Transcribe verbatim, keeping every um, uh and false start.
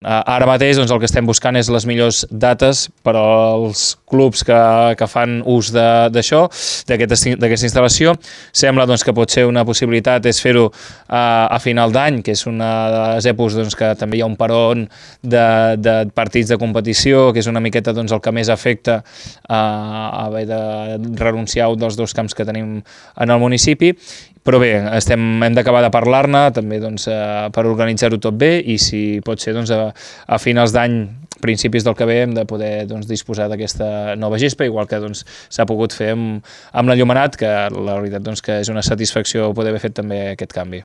Ara mateix doncs, el que estem buscant és les millors dates per als clubs que, que fan ús d'això, d'aquesta instal·lació. Sembla doncs, que pot ser una possibilitat és fer-ho a, a final d'any, que és una de les èpoques doncs, que també hi ha un peron de, de partits de competició, que és una miqueta doncs, el que més afecta a, a haver de renunciar a un dels dos camps que tenim en el municipi. Però bé, estem, hem d'acabar de parlar-ne també doncs, eh, per organitzar-ho tot bé i si pot ser doncs, a, a finals d'any, principis del que ve, hem de poder doncs, disposar d'aquesta nova gespa, igual que doncs, s'ha pogut fer amb, amb l'enllumenat, que la veritat doncs, que és una satisfacció poder haver fet també aquest canvi.